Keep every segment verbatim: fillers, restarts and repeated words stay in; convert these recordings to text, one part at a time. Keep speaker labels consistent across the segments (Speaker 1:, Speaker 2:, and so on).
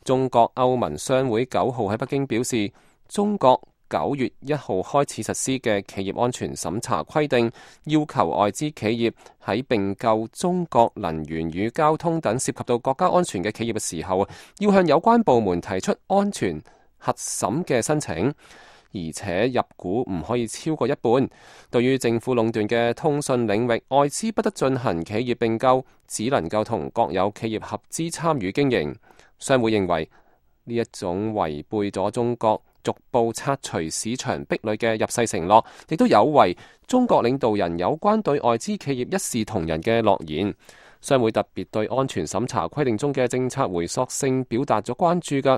Speaker 1: 中國歐盟商會九號喺北京表示，中國九月一號開始實施嘅企業安全審查規定，要求外資企業喺併購中國能源與交通等涉及到國家安全嘅企業嘅時候，要向有關部門提出安全核審嘅申請，而且入股唔可以超過一半。對於政府壟斷嘅通訊領域，外資不得進行企業併購，只能夠同國有企業合資參與經營。商會認為呢一種違背咗中國逐步拆除市場壁壘嘅入世承諾，亦都有違中國領導人有關對外資企業一視同仁嘅諾言。商會特別對安全審查規定中嘅政策回溯性表達咗關注㗎。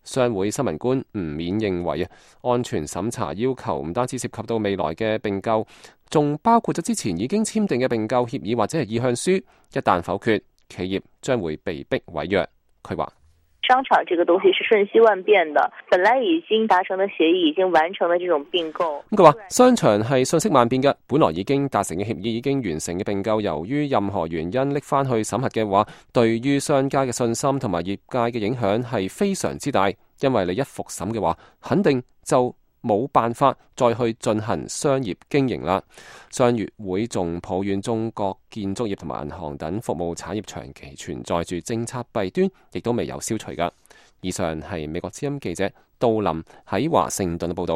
Speaker 1: 商會新聞官吳冕認為啊，安全審查要求唔單止涉及到未來嘅併購，仲包括咗之前已經簽訂嘅併購協議或者係意向書，一旦否決，企業將會被逼違約。佢話：
Speaker 2: 商場這個東西是瞬息萬變的，本來已經達成的協議，已經完成的這種併購。
Speaker 1: 咁佢話商場係瞬息萬變嘅，本來已經達成嘅協議，已經完成嘅併購，由於任何原因拎翻去審核嘅話，對於商家嘅信心同埋業界嘅影響係非常之大。因為你一復審嘅話，肯定就冇辦法再去進行商業經營啦。商業會仲抱怨中國建築業同埋銀行等服務產業長期存在住政策弊端，亦都未有消除噶。以上係美國之音記者杜林喺華盛頓嘅報道。